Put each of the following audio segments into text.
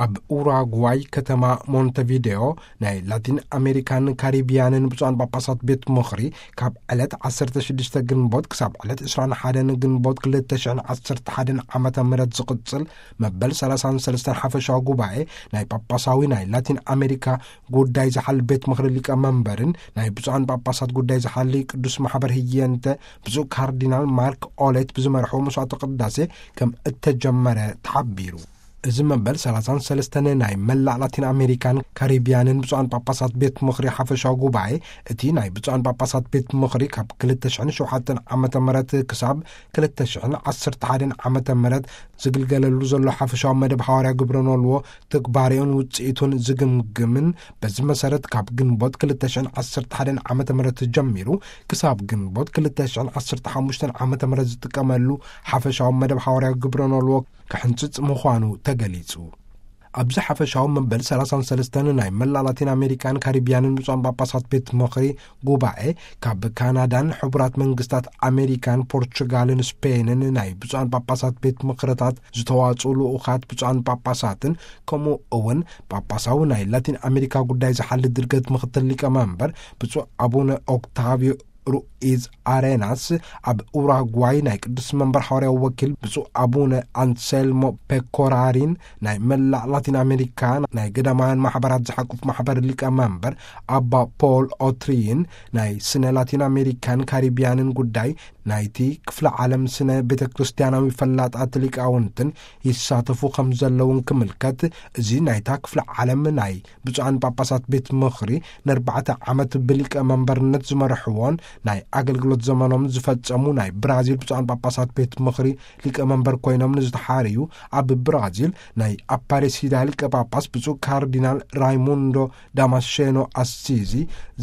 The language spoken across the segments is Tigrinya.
ኣብ ኡራጓይ ከተማ ሞንተቪዴዮ ናይ ላቲን ኣሜሪካን ካሪቢያንን ብፁዓን ጳጳሳት ቤት ምኽሪ ካብ ዕለት ዓሰርተ ሽዱሽተ ግንቦት ክሳብ ዕለት ዕስራን ሓደን ግንቦት ክልተ ሽሕን ዓሰርተ ሓደን ዓመተ ምህረት ዝቕጽል መበል ሰላሳን ሰለስተን ሓፈሻዊ ጉባኤ ናይ ጳጳሳዊ ናይ ላቲን ኣሜሪካ ጉዳይ ዝሓል ቤት ምኽሪ ሊቀመንበርን ናይ ብፁዓን ጳጳሳት ጉዳይ ዝሓሊ ቅዱስ ማሕበር ህየንተ ብፁዕ ካርዲናል ማርክ ኦሌት ብዝመርሖ መስዋዕተ ቅዳሴ ከም እተጀመረ ተሓቢሩ። እዚ መበል ሰላሳን ሰለስተን ናይ መላእ ላቲን ኣሜሪካን ካሪቢያንን ብፁዓን ጳጳሳት ቤት ምኽሪ ሓፈሻዊ ጉባኤ፣ እቲ ናይ ብፁዓን ጳጳሳት ቤት ምኽሪ ካብ ክልተ ሽሕን ሸውዓተን ዓመተ ምህረት ክሳብ ክልተ ሽሕን ዓሰርተ ሓደን ዓመተ ምህረት ዝግልገለሉ ዘሎ ሓፈሻዊ መደብ ሓዋርያ ግብረ ኖልዎ ትግባሬኡን ውጽኢቱን ዝግምግምን፣ በዚ መሰረት ካብ ግንቦት ክልተ ሽሕን ዓሰርተ ሓደን ዓመተ ምህረት ጀሚሩ ክሳብ ግንቦት ክልተ ሽሕን ዓሰርተ ሓሙሽተን ዓመተ ምህረት ዝጥቀመሉ ሓፈሻዊ መደብ ሓዋርያ ግብረ ኖልዎ ክሕንጽጽ ምዃኑ ተገሊጹ። ኣብዚ ሓፈሻዊ መበል ሰላሳን ሰለስተን ናይ መላእ ላቲን ኣሜሪካን ካሪቢያንን ብፁዓን ጳጳሳት ቤት ምኽሪ ጉባኤ፣ ካብ ካናዳን ሕቡራት መንግስታት ኣሜሪካን ፖርቹጋልን ስፔንን ናይ ብፁዓን ጳጳሳት ቤት ምኽርታት ዝተዋጽኡ ልኡኻት ብፁዓን ጳጳሳትን፣ ከምኡ እውን ጳጳሳዊ ናይ ላቲን ኣሜሪካ ጉዳይ ዝሓሊ ድርገት ምኽትል ሊቀመንበር ብፁዕ ኣቡነ ኦክታቪዮ ሩኢዝ ኣሬናስ፣ ኣብ ኡራጓይ ናይ ቅዱስ መንበር ሓዋርያዊ ወኪል ብፁዕ ኣቡነ ኣንሴልሞ ፔኮራሪን፣ ናይ መላእ ላቲን ኣሜሪካ ናይ ገዳማውያን ማሕበራት ዝሓቁፍ ማሕበር ሊቀ መንበር ኣባ ፖል ኦትሪይን፣ ናይ ስነ ላቲን ኣሜሪካን ካሪቢያንን ጉዳይ ናይቲ ክፍለ ዓለም ስነ ቤተ ክርስቲያናዊ ፈላጣት ሊቃውንትን ይሳተፉ ከም ዘለውን ክምልከት፣ እዚ ናይታ ክፍለ ዓለም ናይ ብፁዓን ጳጳሳት ቤት ምኽሪ ንኣርባዕተ ዓመት ብሊቀ መንበርነት ዝመርሕዎን ናይ ኣገልግሎት ዘመኖም ዝፈጸሙ ናይ ብራዚል ብፁዓን ጳጳሳት ቤት ምኽሪ ሊቀ መንበር ኮይኖም ንዝተሓርዩ፣ ኣብ ብራዚል ናይ ኣፓሬሲዳ ሊቀ ጳጳስ ብፁዕ ካርዲናል ራይሙንዶ ዳማሼኖ ኣሲዚ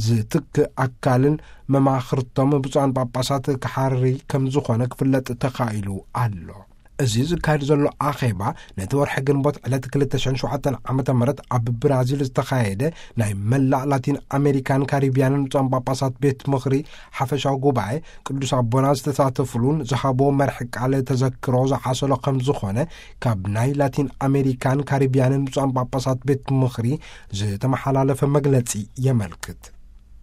ዝትክእ ኣካልን መማኽርቶም ብፁዓን ጳጳሳት ክሓሪ ከም ዝኾነ ክፍለጥ ተኻኢሉ ኣሎ። እዚ ዝካየድ ዘሎ ኣኼባ፣ ነቲ ወርሒ ግንቦት ዕለት ክልተ ሽሕን ሸውዓተን ዓመተ ምህረት ኣብ ብራዚል ዝተኻየደ ናይ መላእ ላቲን ኣሜሪካን ካሪቢያንን ብፁዓን ጳጳሳት ቤት ምኽሪ ሓፈሻዊ ጉባኤ፣ ቅዱስ ኣቦና ዝተሳተፉሉን ዝሃቦ መርሒ ቃል ተዘክሮ ዝሓሰሎ ከም ዝኾነ፣ ካብ ናይ ላቲን ኣሜሪካን ካሪቢያንን ብፁዓን ጳጳሳት ቤት ምኽሪ ዝተመሓላለፈ መግለጺ የመልክት።